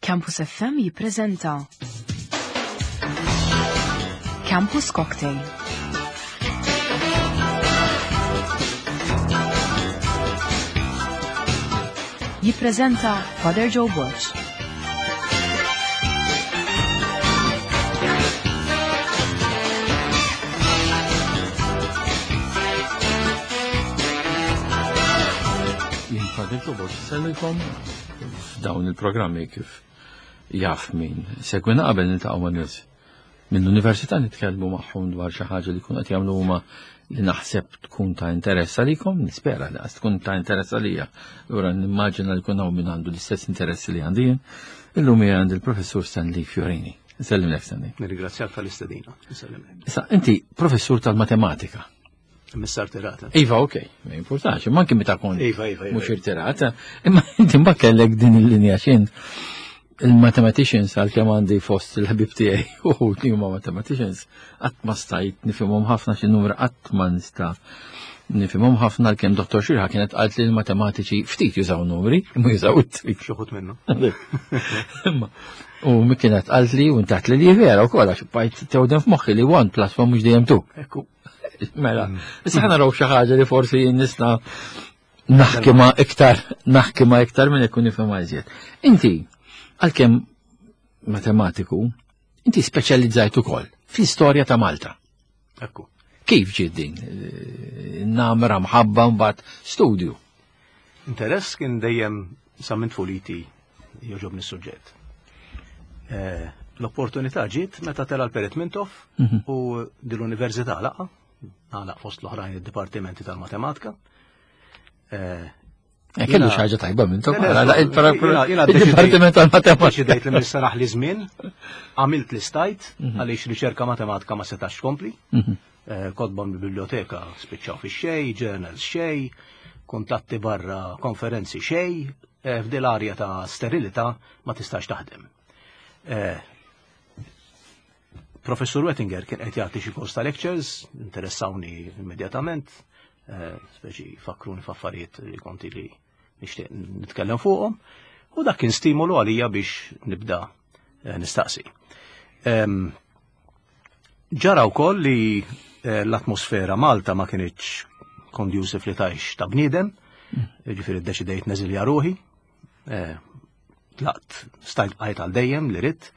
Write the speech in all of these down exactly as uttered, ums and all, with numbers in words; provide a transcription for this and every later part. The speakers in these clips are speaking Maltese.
Campus F M jippreżenta Campus Cocktail. Jippreżenta Father Joe Borg. Jien Father Joe Borg sellilkom f'dawn il-programmi, kif jaf min segwina qabel, niltaqgħu ma' nies mill-università, nitkellmu magħhom dwar xi ħaġa li jkunu qed jagħmlu huma li naħseb tkun ta' interess għalikom, nispera li tkun ta' interess għalija. Ura nimmaġina li jkun hawn min għandu l-istess interessi li għandi jien. Illum hija għandi il-Professur Stanley Fiorini. Nsellimlek, Stanley. Nirringrazzjak tal-istedina. Issa, inti professur tal-matematika. Missa rtirata. Iva, ok, ma importanx, imma anki meta kont Iva, iva, iva. mhux irtirata, imma inti mbagħad kellek din il-linja xin il-mathematicians, għal-kemm għandi fost il-ħbib tiegħi u li huma mathematicians, qatt ma stajt nifhimhom ħafna, xi numru qatt ma nista' nifhimhom ħafna, għalkemm Dottor Xirħa kienet qalt li l-matematiċi ftit jużaw numri, imma jużaw it-triq. Xi wħud minnu. Imma u mi kienet qalt li u intaħt li li vera wkoll, għax bajt tewden f'moħħi li one plus one mhux dejjem two. Ekku. Mela, issa ħa naraw xi ħaġa li forsi nista' naħki ma iktar, naħki ma iktar minn ikun nifhem iżjed. Inti, għalkemm matematiku, inti speċjalizzajt ukoll fl-istorja ta' Malta. Ekku. Kif ġiet din? Eh, Namra, mħabba, mbagħad studju. Interess kien dejjem sa minn tfuliti, jogħġobni s-suġġett. Eh, L-opportunità ġiet meta tela l-Perit Mintoff Mhm. u dil-università laqa, għalaq fost l-oħrajn id-dipartimenti tal-matematika. Eh, Eh, Kellu Jiena- xi ħaġa tajba minn Le, le, jiena- jiena il-Dipartiment tal-Matematika. Deċidejt li minn li żmien, għamilt li stajt, għaliex riċerka matematika ma setax tkompli. Mhm. Eh, Kotba mill-biblioteka spiċċaw fi xej, journals xej, kuntatti barra, konferenzi xej, eh, f'dil arja ta' sterilità ma tistax taħdem. Eh, Professur Wettinger kien qed jagħti xi kors ta' lectures, interessawni immedjatament, eh, speċi fakkruni f'affarijiet li konti li nixtieq nitkellem fuqhom, u dak kien stimolu għalija biex nibda eh, nistaqsi. Em, Ġara wkoll li eh, l-atmosfera Malta ma kinitx conducive li tgħix ta' bniedem, ġifieri ddeċidejt neżilja ruħi, eh, tlaqt, stajt bqajt għal dejjem li ridt,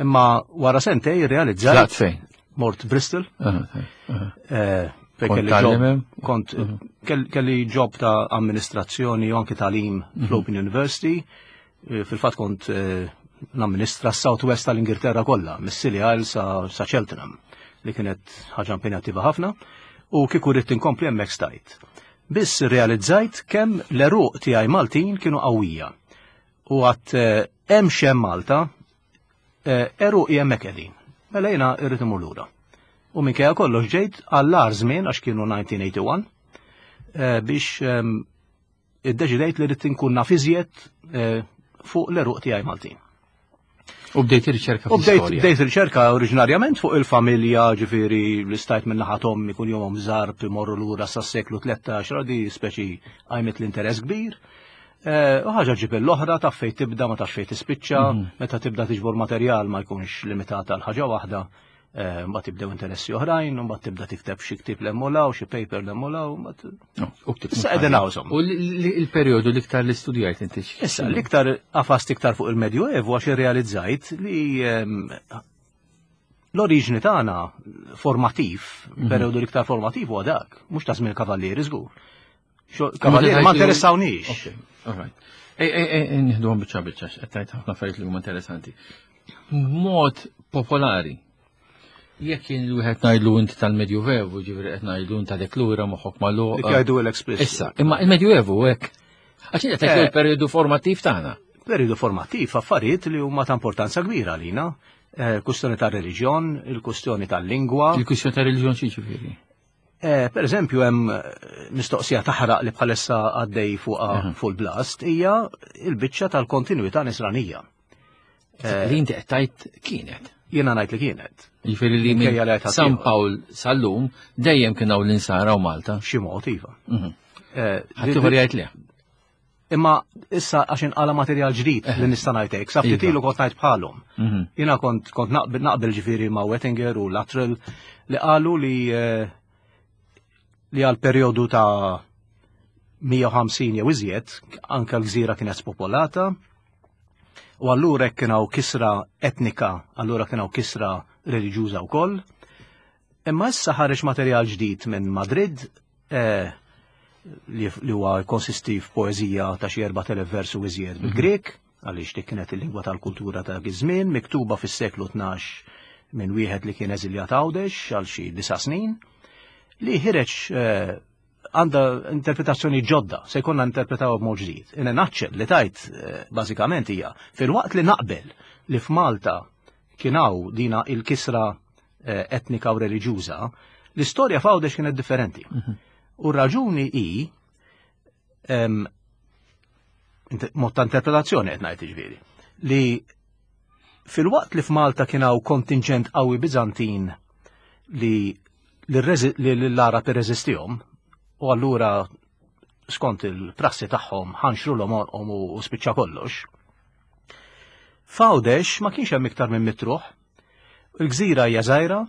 imma wara sentej realizzajt. Tlaqt fejn? Mort Bristol, Aha, aha. eh, fejn Kont kelli job, tgħallem hemm? kont kell- kelli job ta' amministrazzjoni u anki tagħlim fl-Open University. Eh, Fil-fatt kont eh, namministra s-South West tal-Ingilterra kollha, mis-Scilly Isles sa, sa Cheltenham, li kienet ħaġa impenjattiva ħafna, u kieku rrid inkompli hemmhekk stajt. Biss realizzajt kemm l-għeruq tiegħi Maltin kienu qawwija. U għat eh, hemm xem Malta, eh, għeruqi hemmhekk qegħdin. Mela jiena irrid imur lura. U minkejja kollox ġejt għall-agħar żmien, għax kienu elf disa' mija u wieħed u tmenin, eh, biex ehm, iddeċidejt li rrid inkun naf iżjed eh, fuq l-għeruq tiegħi Maltin. U bdejt riċerka U bdejt fl-istorja. bdejt riċerka oriġinarjament fuq il-familja, ġifieri li stajt minn naħa t'ommi kun jomhom Zarb imorru lura sas-seklu tlettax, di speċi għajmet l-interess kbir. Eh, U ħaġa ġib l-oħra, taf fejn tibda, ma taf fejn tispiċċa, meta tibda tiġbor materjal ma jkunx limitat għal ħaġa waħda, eh, mbagħad tibdew interessi oħrajn, u mbagħad tibda tikteb xi ktieb l-emmolaw, xi paper l-emmolaw, mbagħad No, u ktibt Issa qegħdin hawn, insomma. U li- li- il-perjodu l-iktar li studjajt inti? x- Issa, l-iktar għafast iktar fuq il-Medjuevu għax irrealizzajt li ehm, l-oriġni tagħna formativ, periodu l-iktar formativ huwa dak, mhux ta' żmien kavallieri żgur. Xo- Kavallieri ma interessawniex. Ok, all right. Ej, ej, ej, nieħdu għom biċċa biċċa, qed tgħid ħafna affarijiet li huma interessanti. Mod popolari, jekk jien l-wieħed ngħidlu inti tal-Medjuevu, ġifieri qed ngħidlu inti għadek lura, moħħok magħluq. Dik jgħidu l-explicit. Issa, imma il-Medjuevu hekk. Għax qed tgħidlu Eh. l-perjodu formattiv tagħna. Periodu formattiv, affarijiet li huma ta' importanza kbira għalina. Eh, Kustjoni ta' reliġjon, il-kustjoni tal-lingwa. Il-kwistjoni ta' reliġjon xi ġifieri? Eh, Per eżempju, hemm eh, mistoqsija taħraq li bħalissa għaddej fuq fuq il-blast hija il-biċċa tal-kontinuità nisranija. Li inti qed tgħid kienet. Jiena ngħid li kienet. Ġifieri li Minkejja li minn għajt San ħaddieħor. Pawl sal-lum dejjem kien hawn l-insara u Malta. Xi mod iva. Mhm. Eh, Ħaddieħor jgħid le. Imma issa għax inqala materjal ġdid li nista' ngħidlek, sa ftit Iva. ilu kont ngħid bħalhom. Mhm. Jiena kont kont naqbel naqbel ġifieri ma' Wettinger u Luttrell li qalu li eh, li għal perjodu ta' mija u ħamsin jew iżjed anke l-gżira kienet spopolata u allura hekk kien hawn kisra etnika, allura kien hawn kisra reliġjuża wkoll. Imma issa ħareġ materjal ġdid minn Madrid eh, li li huwa konsisti f'poeżija ta' xi erbat elef versu iżjed bil-Grek, għaliex dik kienet il-lingwa tal-kultura ta' dak iż-żmien, miktuba fis-seklu tnax minn wieħed li kien eżiljat Għawdex għal xi disa' snin, li ħireġ eh, għandha interpretazzjoni ġodda, se jkollna interpretaw b'mod ġdid. In a nutshell, li tajt eh, bażikament hija filwaqt li naqbel li f'Malta kien hawn dina il-kisra eh, etnika u reliġjuża, l-istorja f'Għawdex kienet differenti. U raġuni hi em, int- mod ta' interpretazzjoni qed ngħid ġifieri, li filwaqt li f'Malta kien hawn kontingent qawwi Biżantin li li l-Arab irreżistihom u allura skont il-prassi tagħhom ħanxru l-għonqhom u spiċċa kollox. F'Għawdex ma kienx hemm iktar minn mitt ruħ. Il-gżira hija żgħira,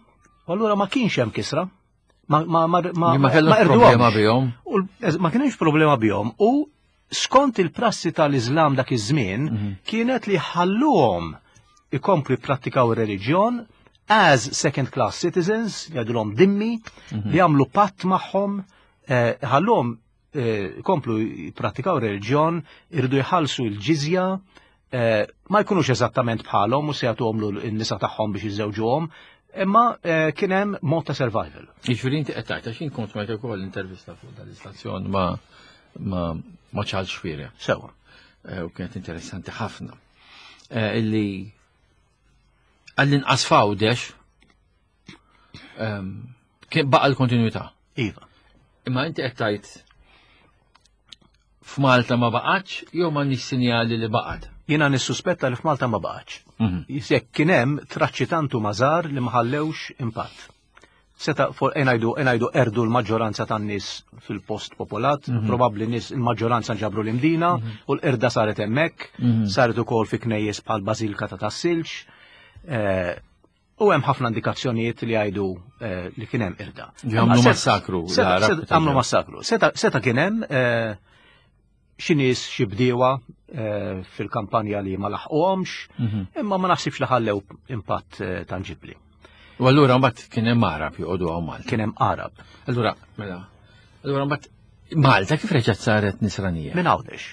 u allura ma kienx hemm kisra. Ma ma ma ma Li ma kellhomx qerduhomx. problema bihom. U l- ma kienx problema bihom u skont il-prassi tal-Iżlam dak iż-żmien kienet li ħalluhom ikomplu jipprattikaw ir-reliġjon as second class citizens, jgħidulhom dimmi, li jagħmlu patt magħhom, eh, ħalluhom eh, ikomplu jipprattikaw ir-reliġjon, irridu jħallsu l-ġizja, eh, ma jkunux eżattament bħalhom u se jagħtuhom n-nisa tagħhom biex jiżżewġuhom, imma eh, kien hemm mod ta' survival. Jiġifieri inti qed tgħid, għax jien kont smajt ukoll intervista fuq dal-istazzjon ma ma ma Charles Xuereb. Sewa. Eh, U kienet interessanti ħafna. Eh, Illi għall-inqas f'Għawdex ehm, kien baqa l-kontinuità. Iva. Imma inti qed tgħid f'Malta ma baqgħetx jew m'għandniex sinjali li baqgħet. Jiena nissuspetta li f'Malta ma baqgħetx. Mhm. Jekk kien hemm traċċi tantu mażar li ma ħallewx impatt. Seta for enajdu enajdu erdu l-maġġoranza tan-nies fil-post popolat, probabbli nies il-maġġoranza ġabru l-Imdina u l-qirda saret hemmhekk, saret ukoll fi knejjes bħal Bażilka ta' Tas-Silġ. Eh, U hemm ħafna indikazzjonijiet li jgħidu eh, li kien hemm qirda. Għamlu Seta- massakru, seta- l-Arab seta- Għamlu massakru. Seta seta kien hemm eh, xi nies xi bdiewa eh, fil-kampanja li ma laħquhomx, imma ma naħsibx li ħallew impatt eh, tanġibli. U allura mbagħad kien hemm Arab joqogħdu hawn Malta. Kien hemm Arab Allura, mela, allura mbagħad Malta kif reġgħet saret nisranija? minn Għawdex.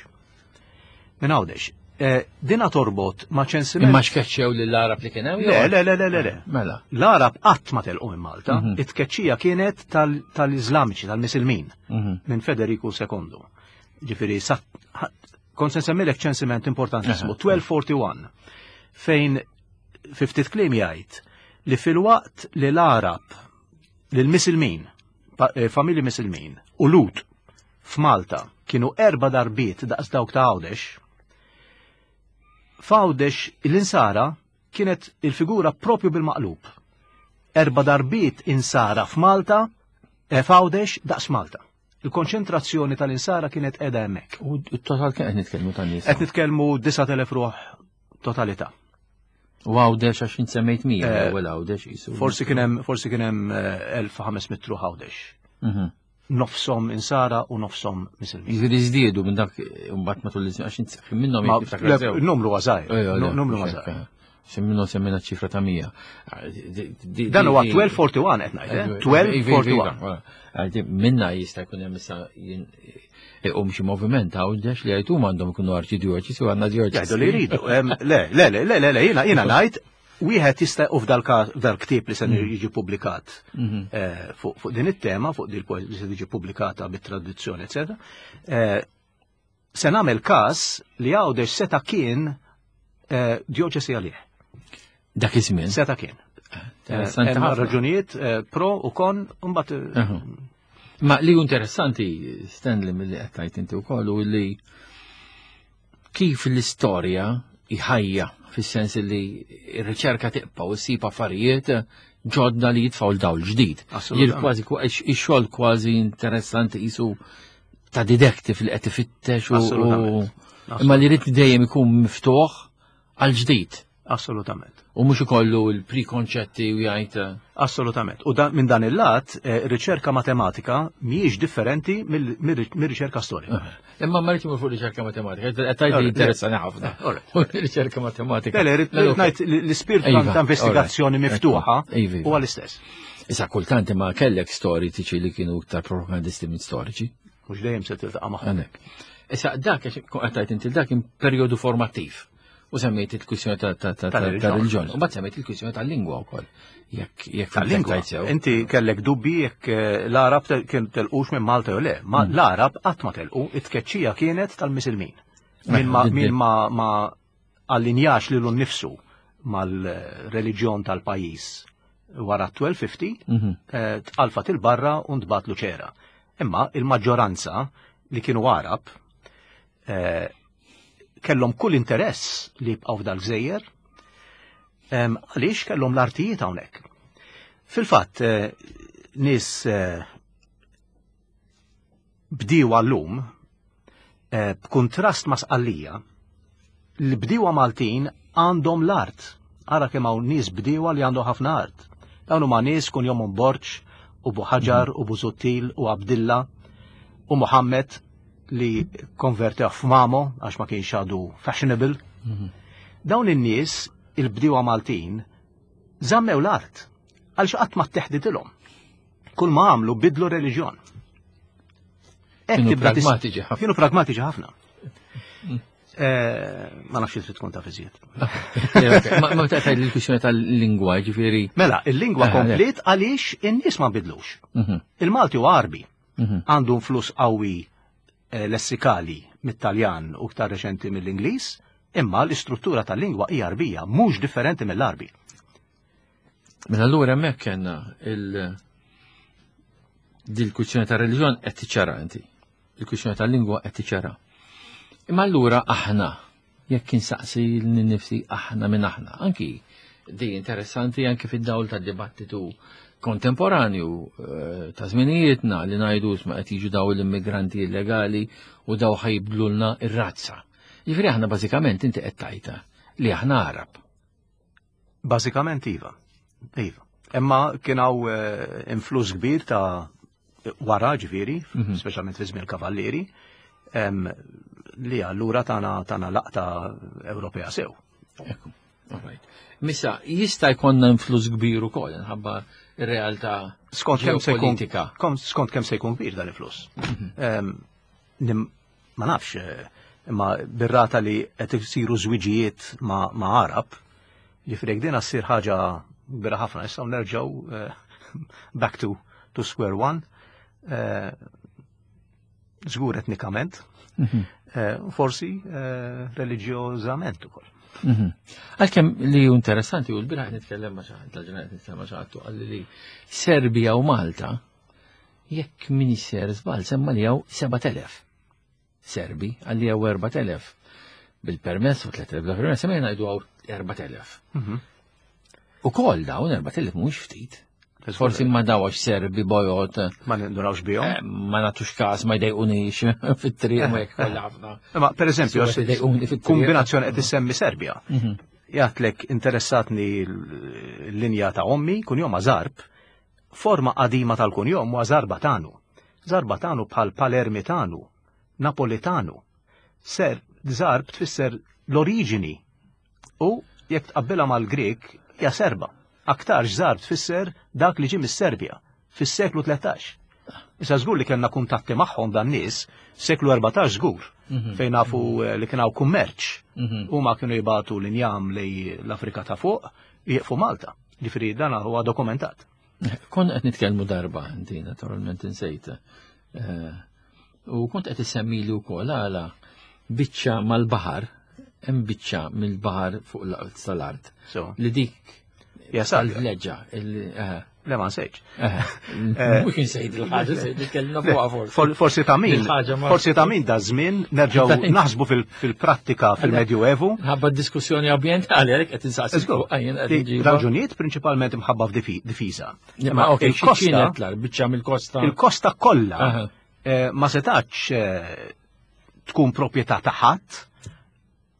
Minn Għawdex. Eh, Dina torbot ma' ċensiment. Imma xkeċċew lill-Arab li kien hemm? Le, le, le, le, le, le. Mela. L-Arab qatt ma telqu minn Malta, Mhm. it-tkeċċija kienet tal- tal-Iżlamiċi, tal-Misilmin, Mhm. minn Federiku sekondu. Ġifieri, sa- ħa- kont se nsemmilek ċensiment importantissimu, tnax erbgħa u erbgħin, fejn fi ftit kliem jgħid li filwaqt li l-Arab, li l-Misilmin, pa- eh, familji Misilmin, u Lhud f'Malta kienu erba darbiet daqs dawk ta' Għawdex, f'Għawdex l-insara kienet il-figura propju bil-maqlub. Erba darbiet insara f'Malta, eh, f'Għawdex daqs Malta. Il-konċentrazzjoni tal-insara kienet qiegħda hemmhekk. U t-total kien qed nitkellmu tan-nies. Qed nitkellmu disat elef ruħ totalità. U Għawdex għax int semmejt mija, Eh, l-ewwel Għawdex qisu. Forsi kien hemm forsi kien hemm eh, elf u ħames mitt ruħ Għawdex. Mhm. Nofsom insara u nofsom misilmin. Jiġifieri żdiedu minn dak mbagħad matul iż-żmien għax int minnhom Ma jekk tiftakar le, sew. il-numru għażajr. Ejja, le, Numru mhux għażajr. hekk, Se minnhom semmejna ċifra ta' mija. Dan huwa tnax erbgħa u erbgħin qed ngħid, eh? tnax erbgħa u erbgħin. Għaldi, minna jista' jkun hemm issa jien- iqum xi moviment Għawdex li jgħidu għandhom ikunu arċidjoċi u għandna djoċesi. Jgħidu li jridu. Em, Le, le, le, le, le, le, jiena jiena ngħid wieħed jista' u f'dal f'dal ktieb li se jiġi pubblikat eh, fuq fuq din it-tema, fuq din il li se tiġi pubblikata bit-traduzzjoni, eċetera. eh, Se nagħmel każ li Għawdex seta' kien eh, djoċesi għalih. Dak iż-żmien. Seta' kien. Interessanti Hemm ħafna. raġunijiet eh, pro u kon, u mbagħad eh, Aha. Ma li hu interessanti, Stanley, mill-li qed tgħid inti wkoll, u li kif l-istorja iħajja, fis-sens li r-riċerka tibqa' u ssib affarijiet ġodda li jitfgħu l-dawl ġdid. Assolutament. Jien kważi ix-xogħol kważi interessanti qisu ta' detective li qed ifittex u Assolutament. imma li jrid dejjem ikun miftuħ għal ġdid Assolutament. u mhux ikollu l-prekonċetti u jgħid eh, Assolutament. U da, minn dan il-lat, eh, riċerka matematika mhijiex differenti mill- mill-riċerka storika. Imma ma rridx imur fuq riċerka matematika, qed tgħid li Alright, interessani ħafna. Alright. Fuq riċerka matematika. Le, le, rrid Mela, ngħid li l-ispirtu Iva, ta' investigazzjoni alright. miftuħa Ekku, iva, iva. huwa l-istess. Issa kultant imma kellek storiċi li kienu iktar propagandisti minn storiċi. Mhux dejjem se tiltaqa' magħhom. Għanek. Issa dak, għax qed tgħid inti dak kien perjodu formattiv. U semmejt il-kwistjoni ta' ta' ta' ta' Tal-reliġjon. ta' reliġjon. U mbagħad semmejt il-kwistjoni tal-lingwa wkoll. Jekk jekk Tal-lingwa. tajt sew. Inti kellek dubbi jekk eh, l-Arab te- kien telqux minn Malta jew le. Ma Mm. l-Arab qatt ma telqu, it-tkeċċija kienet tal-Misilmin. Min ma Eh, min ma ma allinjax lilu nnifsu mal-reliġjon tal-pajjiż wara tnax ħamsin Mhm. eh, tqalfat il-barra u ntbatlu ċera. Imma il-maġġoranza li kienu Arab eh, kellhom kull interess li jibqgħu f'dal-gżejjer em, għaliex kellhom l-artijiet hawnhekk. Fil-fatt, eh, nies eh, bdiewa llum eh, b'kuntrast ma' Sqallija, l-bdiewa Maltin għandhom l-art. Ara kemm hawn nies bdiewa li għandhom ħafna art. Dawn huma nies kunjomhom Borg u Buħaġar u Busuttil u Abdilla u Muhammed li konvertew f'Mamo għax ma kienx għadu fashionable. Dawn in-nies, il-bdiewa Maltin, żammew l-art għaliex qatt ma tteħditilhom. Kull ma għamlu bidlu reliġjon. Hekk Kienu tibda tis- pragmatiċi ħafna. Kienu pragmatiċi ħafna. Eh, Ma nafx trid tkun taf iżjed. Ma ma tgħid il-kwistjoni tal-lingwa, ġifieri. Mela, il-lingwa Eh, komplet għaliex in-nies ma bidlux. Mhm, Il-Malti huwa Arbi, mhm. għandu influss qawwi eh, lessikali mit-Taljan u ktar reċenti mill-Ingliż, imma l-istruttura tal-lingwa hija Arbija, mhux differenti mill-Arbi. Mela allura hemmhekk kellna il dil-kwistjoni tar-reliġjon qed tiċċara inti. Il-kwistjoni tal-lingwa qed tiċċara. Imma allura aħna, jekk insaqsi lil nifsi aħna minn aħna, anki di interessanti anki fid-dawl tad-dibattitu kontemporanju eh, ta' żminijietna li ngħidu isma' qed jiġu daw l-immigranti illegali u daw ħa jibdlulna ir-razza. Jiġifieri aħna bażikament inti qed tgħidha li aħna Arab. Bażikament iva. Iva. Imma kien hawn eh, influss kbir ta' wara ġifieri, Mhm. speċjalment fi żmien il-Kavallieri, em, li allura tana tana laqta Ewropea sew. Ekku, all right. Missa, jista' jkollna influss kbir ukoll minħabba ir-realtà Skont kemm se jkun ġeopolitika. kom- skont kemm se jkun kbir dan il-fluss. Em, nim- Ma nafx, eh, imma bir-rata li qed isiru żwiġijiet ma' ma' Arab, ġifieri jekk din ssir ħaġa kbira ħafna, issa nerġgħu eh, back to, to square one, eh, żgur etnikament, Mhm. eh, forsi eh, reliġjożament ukoll. Mhm. Għalkemm li hu interessanti u l-bieraħ nitkellem ma' xi ħadd, l-ġurnata nitkellem ma' xi ħadd u qalli li Serbija u Malta jekk min sejjer żball semma li hawn sebat elef Serbi, qalli hawn erbat elef bil-permess u tliet elef bla permess, semma ngħidu hawn erbat elef. Mhm. U kol dawn erbat elef mhux ftit. Forsi ma dawx Serbi bojod, Ma nindurawx bihom. eh, ma nagħtux każ, ma jdejqunix fit-triq ma jekk kollha ħafna. Ma per eżempju, Suwed idejquni fit-triq. kombinazzjoni qed issemmi Serbja. Mhm. Jgħatlek interessatni l-linja ta' ommi, kunjom Zarb, forma qadima tal-kunjom huwa Zarbatanu. Zarbatanu bħal Palermitanu, Napolitanu. Ser, Zarb tfisser l-oriġini u jekk tqabbilha mal-Grek hija Serba. Aktarx Zarb tfisser dak li ġie mis-Serbja fis-seklu tlettax. Issa żgur li kellna kuntatti magħhom dan nies, seklu erbatax żgur, Mhm. fejn nafu eh, li kien hawn kummerċ. Mhm. Huma kienu jibatu l-injam lej l-Afrika ta' fuq, jieqfu Malta. Ġifieri dan huwa dokumentat. Kont qed nitkellmu darba inti naturalment insejt. Eh, U kont qed issemmili wkoll għala biċċa mal-baħar, hemm biċċa mill-baħar fuq l- tal-art So, li dik Ja, Serbja. tal-vleġġa il- eh, Le ma nsejtx. eh, Mhux insejt il-ħaġa, sejt nitkellmna fuqha forsi. For- Forsi ta' min, Il-ħaġa ma- forsi ta' min da żmien nerġgħu naħsbu fil- fil-prattika fil-Medjuevu. Ħabba diskussjoni ambjentali għalhekk qed insaqsi fuq għajn qed Li nġiba. Raġunijiet prinċipalment imħabba f'difiża. Ma ok, il-kosta kienet l biċċa mill-kosta. il-kosta kollha Aha. Eh, ma setax eh, tkun proprjetà ta' ħadd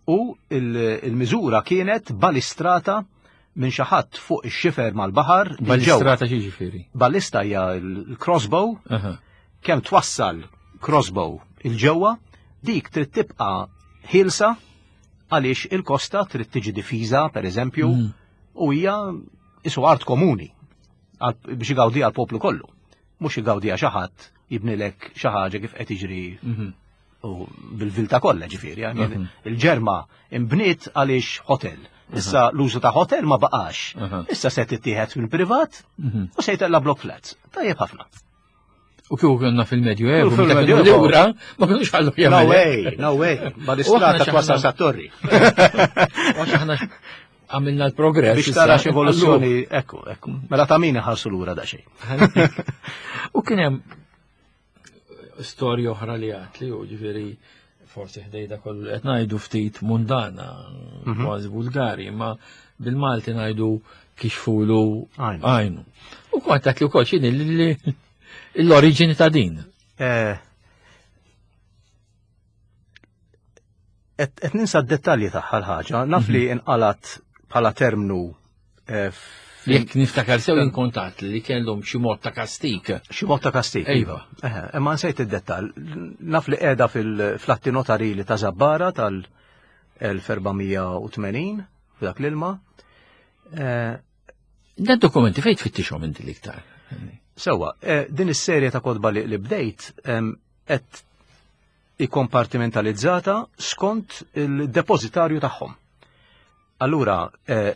u il-miżura kienet balistrata minn xi ħadd fuq ix-xifer mal-baħar. Balistrata xi ġifieri? Balista hija l-crossbow, kemm twassal crossbow il-ġewwa, dik trid tibqa' ħielsa għaliex il-kosta trid tiġi difiża, per eżempju, mm. u hija isu art komuni biex igawdi għal poplu kollu. Mhux igawdi xi ħadd jibnilek xi ħaġa kif qed jiġri mhm. u bil-vilta kollha ġifieri. Mhm. Il-Ġerma imbniet għaliex hotel. Issa l-użu ta' hotel ma baqax. Issa se tittieħed mill-privat mhm. u se jtella block flats. Tajjeb ħafna. U kieku konna fil-Medju Evu, fil-Medju Evu, ma kienux ħallu jagħmlu. No way, no way. Balistrata twasal sa torri. Għax aħna għamilna l-progress. Biex tara evoluzzjoni, ekku, ekku. Mela ta' min ħarsu lura da xejn. U kien hemm storja oħra li għat li u ġifieri forsi ħdejda kollu qed ngħidu ftit mundana, mhm. kważi vulgari, ma bil-Malti ngħidu kixfulu għajnu. U kont li wkoll x'inhi l-oriġini ta' din. Eh, qed ninsa d-dettalji tagħha l-ħaġa, naf li mhm. inqalat bħala termnu eh, Jekk niftakar sew inkontat li kellhom xi mod ta' kastik. Xi mod ta' kastik, iva. Imma nsejt id-dettall. Naf li qiegħda fil-flatti notarili ta' Zabbara tal-elf erba' mija u tmenin f'dak l-ilma. Eh, Dan dokumenti fejn tfittixhom inti l-iktar? Sewwa, eh, din is-serje ta' kotba li bdejt qed ikkompartimentalizzata skont il-depozitarju tagħhom. Allura, eh,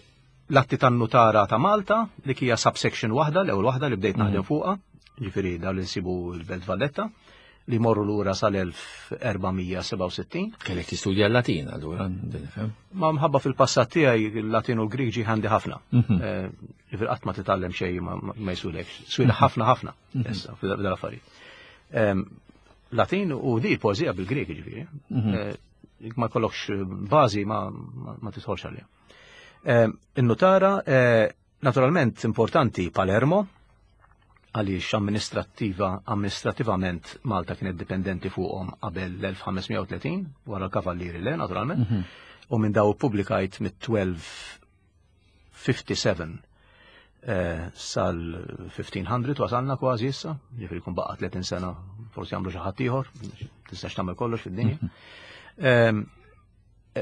l-atti tan-nutara ta' Malta, li hija subsection waħda, l-ewwel waħda li bdejt naħdem mm. fuqha, ġifieri dawn li nsibu l-Belt Valletta, li morru lura sal-elf erba' mija sebgħa u sittin. Kellek tistudja l-Latin allura, nifhem. Ma mħabba fil-passat tiegħi il-Latin u l-Grieg ġi ħandi ħafna. Mhm. Eh, ġifieri qatt ma titgħallem xejn ma jsulek. Swila ħafna ħafna mhm. issa fil-affarijiet. Ehm, Latin u di poeżija bil-Grieg ġifieri. Mhm. Eh, ma jkollokx bażi ma, ma tidħolx għalija. Ehm, in-nutara, eh, naturalment importanti Palermo, għaliex amministrattiva, amministrativament Malta kienet dipendenti fuqhom qabel l-elf ħames mija u tletin, wara l-Kavallieri le, naturalment, mhm. u minn daw publikajt mit-twelve fifty-seven, eh, sal-fifteen hundred wasalna kważi issa, ġifieri jkun baqa' tletin sena, forsi jagħmlu xi ħadd ieħor, tistax tagħmel kollox fid-dinja. Mhm. Ehm,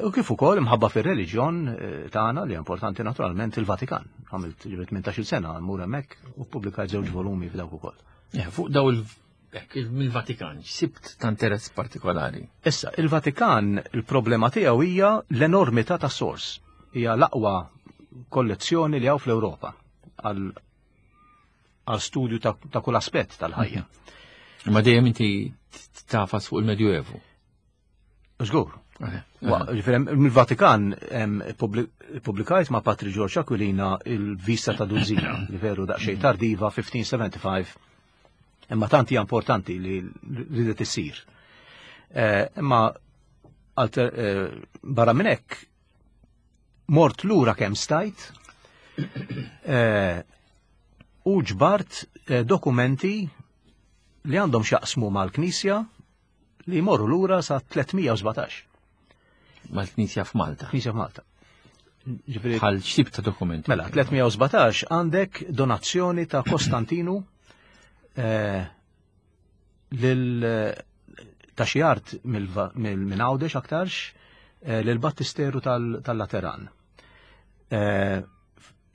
u kif ukoll imħabba fir-reliġjon, eh, tagħna li importanti naturalment il-Vatikan. Għamilt ġifieri tmintax-il sena mmur hemmhekk u ppubblikajt żewġ volumi f'dawk ukoll. Eh, fuq daw il-, hekk, mill-Vatikan, x'sibt ta' interess partikolari? Issa, il-Vatikan, il-problema tiegħu hija l-enormità ta' sors. Hija l-aqwa kollezzjoni li hawn fl-Ewropa għal, għal studju ta', ta' kull aspett tal-ħajja. Mhm. Ma dejjem inti tafas fuq il-Medjuevu. Żgur. Eh, Wa, eh. ġifieri, mill-Vatikan, em, publi-, publikajt ma' Patri George Aquilina il-vista ta' Dużina, li veru daqsxejn Mhm. tardiva, fifteen seventy-five, imma tant hija importanti li ridet issir. Eh, imma alter, eh, barra minn hekk mort lura kemm stajt, eh, u ġbart, eh, dokumenti li għandhom x'jaqsmu mal-Knisja li jmorru lura sa tliet mija u sbatax. Mal-Knisja f'Malta. Knisja f'Malta. Ġifieri Bħal x'tip ta' dokumenti? Mela, tliet mija u sbatax għandek donazzjoni ta' Kostantinu, eh, lil ta' xi art mill-, mill-, minn Għawdex aktarx, eh, lil Battisteru tal-, tal-Lateran. Eh,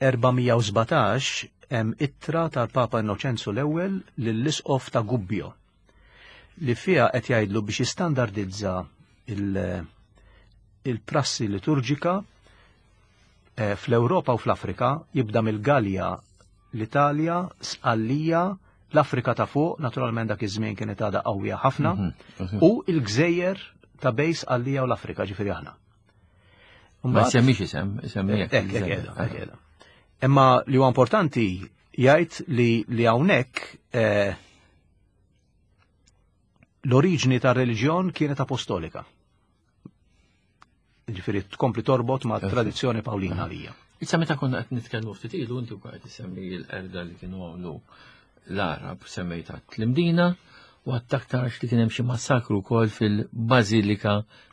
erba' mija u sbatax hemm ittra tal-Papa Innoċenzu l-ewwel lill-Isqof ta' Gubbio li fiha qed jgħidlu biex jistandardizza il-, il-prassi liturġika, eh, fl-Ewropa u fl-Afrika, jibda mill-Galja, l-Italja, Sqallija, l-Afrika ta' fuq, naturalment dak iż-żmien kienet għadha qawwija ħafna, Mhm, mhm. u l-gżejjer ta' bejn Sqallija u l-Afrika, ġifieri aħna. Ma Mbagħad semmix isem, isemmi hekk Hekk, hekk il-gżejjer. qiegħda, hekk qiegħda. Imma li huwa importanti jgħid li, li hawnhekk, eh, l-oriġni tar-reliġjon kienet apostolika. Ġifieri tkompli torbot ma' Perfett. tradizzjoni Pawlina għalija. Issa meta konna qed nitkellmu ftit ilu, inti wkoll qed isemmi l-qerda li kienu għamlu l-Arab, semmejta l-Imdina U għattaktarx li kien hemm xi massakru wkoll fil-Bażilika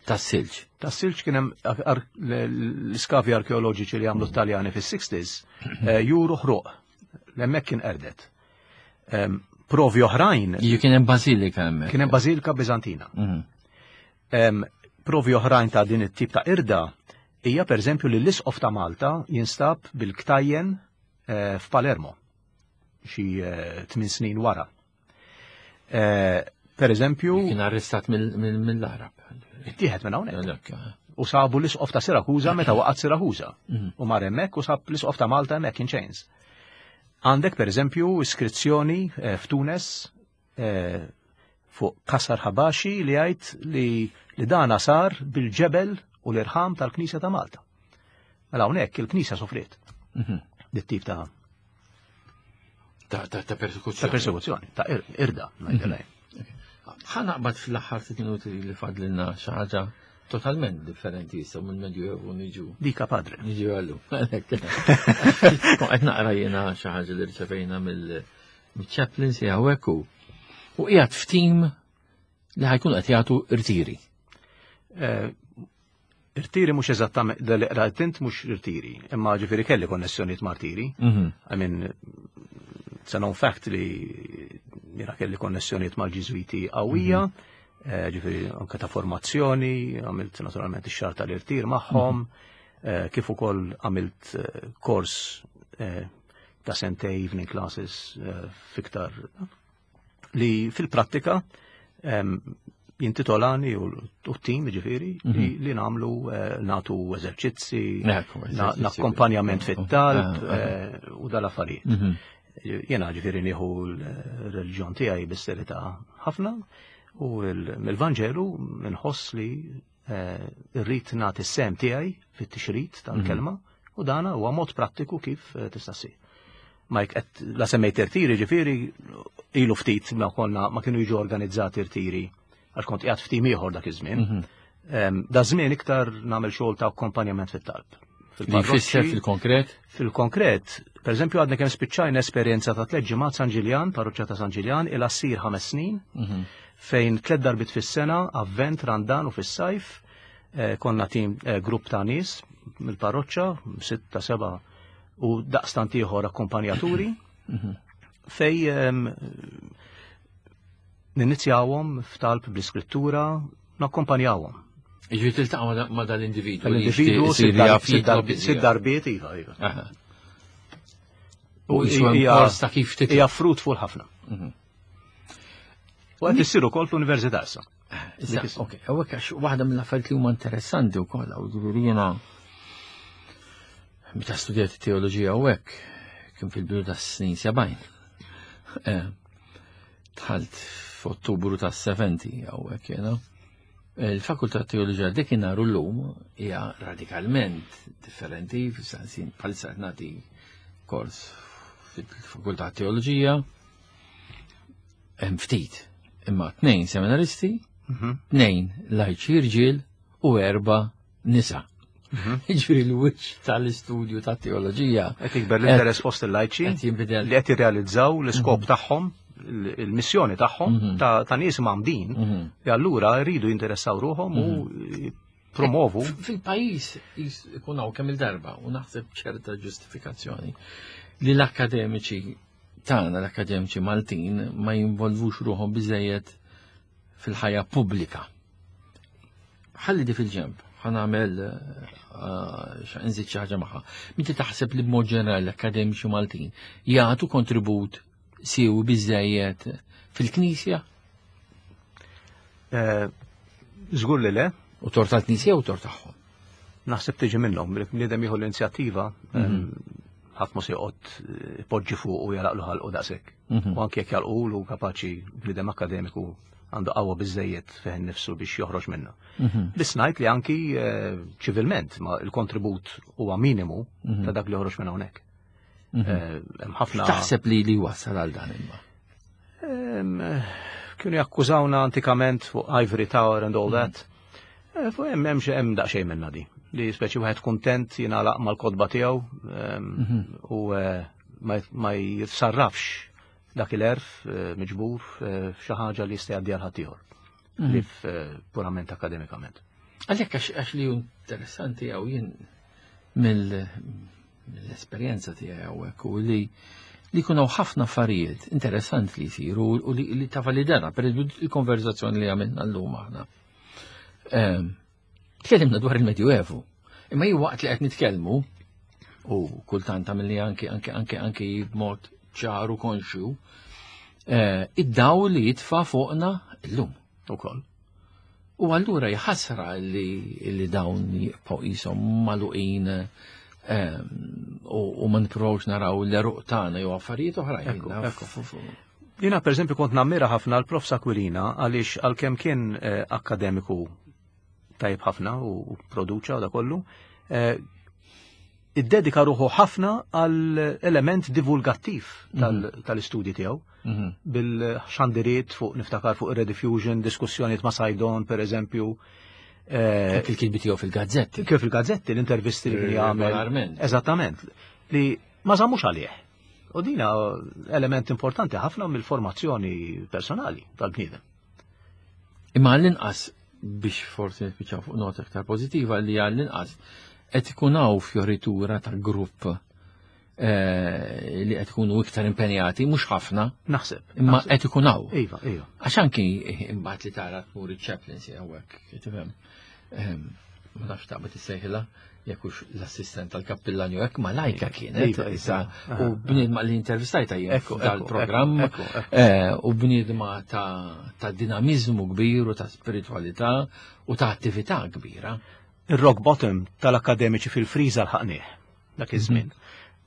tas-Silġ. Tas-Silġ kien hemm l-iskavi arkeoloġiċi li għamlu Taljani fis-sixties eh, juru ħruq. L-hemmhekk kien qerdet. Provi oħrajn. Kien hemm bażilika hemmhekk. Kien hemm bażilika Biżantina. Mhm. Provi oħrajn ta' din it-tip ta' irda hija, pereżempju, li l-Isqof ta' Malta jinstab bil-ktajjen eh, f'Palermo xi eh, tmien snin wara. Eh, per eżempju. Kien arrestat mill-Arab. Ittieħed minn hawnhekk. U sabu l-Isqof ta' Sirakuza meta waqgħet Sirakuza. Mhm. U mar hemmhekk u sab l-Isqof ta' Malta hemmhekk in chains. Għandek, per eżempju, iskrizzjoni eh, f'Tunes eh, fuq Kasar Habashi li jgħid li li dana sar bil-ġebel u l-irħam tal-Knisja ta' Malta. Mela hawnhekk il-Knisja sofriet. Mhm. Dit-tip ta' ta' ta' persekuzzjoni. Ta' persekuzzjoni, ta' irda, ngħidilha. Ħa naqbad fl-aħħar ftit minuti li fadlilna xi ħaġa totalment differenti issa mill-Medjuevu niġu. Dika, padre. Niġu għallu. Qed naqra jiena xi ħaġa li rċevejna mill-chaplains hawnhekk u u qiegħed f'tim li ħa jkun qed jagħtu irtiri. Eh, irtiri mhux eżattament, li qrajt int mhux irtiri, imma ġifieri kelli konnessjonijiet ma' rtiri. Mhm. I mean, it's a known fact li jiena kelli konnessjonijiet mal-Ġiżwiti qawwija, mhm. eh, ġifieri anke ta' formazzjoni, għamilt naturalment ix-xahar tal-irtir magħhom, eh, kif ukoll għamilt eh, kors ta' sentej evening classes fiktar li fil-prattika jintitolani u t-tim, ġifieri, li mhm. li nagħmlu nagħtu eżerċizzi, nakkompanjament fit-talb ah, ah. u dal-affarijiet. Mhm. Jena ġifieri nieħu l-reliġjon tiegħi bis-serjetà ħafna u mill-Vanġelu nħoss li eh, rrid nagħti s-sehem tiegħi fit-tixrid tal-kelma u dana huwa mod prattiku kif eh, tista' ssir. Ma jek qed la semmejt irtiri, ġifieri ilu ftit ma konna ma kienu jiġu organizzati irtiri għax kont qiegħed ftit ieħor dak iż-żmien. Em, Da żmien iktar nagħmel xogħol ta' akkompanjament fit-talb. Li jfisser fil-konkret? Fil-konkret, per eżempju, għadna kemm spiċċajna esperjenza ta' tliet ġimgħat San Ġiljan, parroċċa ta' San Ġiljan, ilha ssir ħames snin, fejn tliet darbit fis-sena, Avvent, Randan u fis-sajf, eh, konna tim eh, grupp ta' nies mill-parroċċa, sitta, seba' u daqstant ieħor akkompanjaturi, fej em, ninizjawhom f'talb bl-iskrittura, nakkompanjawhom. Ġifieri tiltaqa' ma' ma' dal-individu. L-individu sitt dar- sitt darbiet, sitt darbiet, iva, iva. Aha. U jisu hemm hija- kors ta' kif titla'. Hija fruitful ħafna. U qed issir ukoll fl-università issa. Issa, ok, hawnhekk għax waħda mill-affarijiet li huma interessanti wkoll, u ġifieri jiena meta studjat teoloġija hawnhekk kien fil-bidu tas-snin sebgħin. Eh, Dħalt f'Ottubru tas-sebgħin hawnhekk jiena. Il-Fakultà Teoloġija dik nhar u llum hija radikalment differenti, fis-sensin bħalissa qed nagħti kors fil-Fakultà Teoloġija hemm ftit, imma tnejn seminaristi, tnejn lajċi rġiel u erba' nisa. Ġifieri l-wiċċ tal-istudju ta' teoloġija Qed jikber l-interess fost il-lajċi qed jinbidel. li qed jirrealizzaw l-iskop tagħhom, il-missjoni tagħhom ta' ta' nies mgħammdin li allura jridu jinteressaw ruħhom u promovu. Fil-pajjiż ikun hawn kemm il-darba u naħseb ċerta ġustifikazzjoni li l-akademiċi tagħna, l-akademiċi Maltin, ma jinvolvux ruħhom biżejjed fil-ħajja pubblika. Ħalli di fil-ġemp, ħa nagħmel eh, nżid xi ħaġa magħha. Inti taħseb li b'mod ġenerali l-akademiċi Maltin jagħtu kontribut siewi biżejjed fil-Knisja? Eh, Żgur li le. U tort tal-Knisja u tort tagħhom? Naħseb tiġi minnhom, li bniedem jieħu l-inizjattiva, ħadd ma se joqgħod eh, ipoġġi fuq u jalaqlu ħalqu daqshekk. U anke jekk jalqulu, kapaċi bniedem akademiku għandu qawwa biżejjed fih innifsu biex joħroġ minna. Biss ngħid li anki eh, ċivilment ma il-kontribut huwa minimu ta' dak li joħroġ minn hawnhekk. Eh, Hemm ħafna Taħseb li li wasal għal dan imma? Em, kienu jakkużawna antikament fuq Ivory Tower and all that. Eh, Fuq hemm hemm xi hemm daqsxejn minna di. Li speċi wieħed kuntent jingħalaq mal-kotba tiegħu em, u eh, ma ma jitsarrafx dak il-għerf eh, miġbur eh, f'xi ħaġa li jista' jgħaddi għal ħaddieħor. Mhm. Li eh, purament akademikament. Għalhekk għax għax li hu interessanti għaw jien mill- mill-esperjenza tiegħi hawnhekk u li li jkunu ħafna affarijiet interessanti li jsiru u li, li ta' validana, per eżempju il-konverzazzjoni li għamilna llum aħna. Ehm, Tkellimna dwar il-Medjuevu, imma jien waqt li qed nitkellmu u kultant għamilni anki anki anki anki b'mod ċaru konxju, eh, id-dawl li jitfa' fuqna llum. Ukoll. U allura jħasra li, li dawn jibqgħu qishom magħluqin ehm, u, u ma nippruvawx naraw l-għeruq tagħna jew affarijiet oħrajn. Ekku, Naf- ekku. fu- fu- Jiena per eżempju kont nammira ħafna l-Prof Aquilina għaliex għalkemm kien eh, akademiku tajjeb ħafna u, u produċa u da kollu, eh, iddedika ruħu ħafna għal element divulgattiv tal- tal-istudji tiegħu Mhm. bil-xandiriet fuq niftakar fuq Rediffusion, diskussjoniet ma' Saydon per eżempju, eh, Anki l-kitbi tiegħu fil-gazzetti. kif il-gazzetti, l-intervisti li kien jagħmel. Regolarment. Eżattament. Li ma żammux għalih. U dina element importanti ħafna mill-formazzjoni personali tal-bniedem. Imma għall-inqas biex forsi nispiċċaw fuq nota aktar pożittiva li għall-inqas qed ikun hawn fjoritura ta' grupp eh, li qed ikunu iktar impenjati, mhux ħafna, Naħseb. imma naħseb. qed ikun hawn. Iva, iva. Għax anki imbagħad li tara tmur iċ-chaplaincy hawnhekk, tifhem. Ehm, Ma nafx taqbad issejħilha jekk hux l-assistent tal-kappillan jew hekk ma lajka kienet Iva, iva. issa Aha. u bniedma li intervistajta jien Ekku, ekku, dal-programm ekku, ekku. eh, u bniedma ta' ta' dinamizmu kbir u ta' spiritualità u ta' attività kbira. Il-rock bottom tal-akademiċi fil-friża lħaqnieh dak iż-żmien.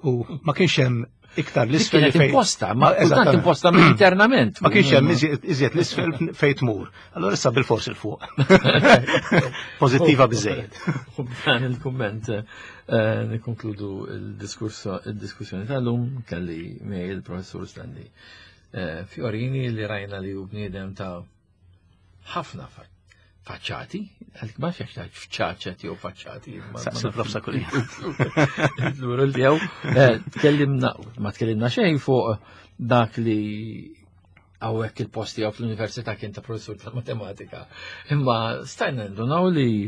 U ma kienx hemm iktar Dik l-isfel kienet fejn- imposta, ma kultant eżattament. imposta internament. Ma kienx hemm iżjed iżjed l-isfel fejn tmur. Allora issa bil-fors 'il fuq. Pożittiva biżejjed. U b'dan il-komment eh, nikkonkludu il-diskurso il-diskussjoni tal-lum kelli miegħi il-professur Stanley eh, Fiorini li rajna li hu bniedem ta' ħafna fa- faċċati, għalik ma fiex ta' fċaċet jew faċċati. ma- ma Saqsi il-prof nafx. Aquilina. Il-plural tiegħu. Eh, Tkellimna, ma tkellimna xejn fuq dak li hawnhekk il-post tiegħu fl-università kien ta' professur tal-matematika. Imma stajna ndunaw li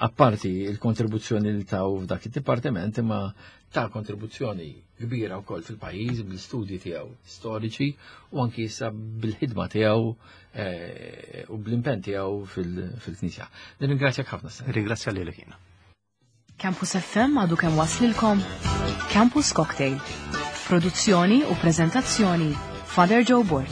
apparti il-kontribuzzjoni li taw f'dak il-dipartiment, imma ta' kontribuzzjoni kbira wkoll fil-pajjiż bil-studji tiegħu storiċi u anki issa bil-ħidma tiegħu eh, u bl-impenn tiegħu fil- fil-Knisja. Nirringrazzjak ħafna Stanley. Ringrazzja lilek jiena. Campus F M għadu kemm waslilkom Campus Cocktail. Produzzjoni u prezentazzjoni Father Joe Borg.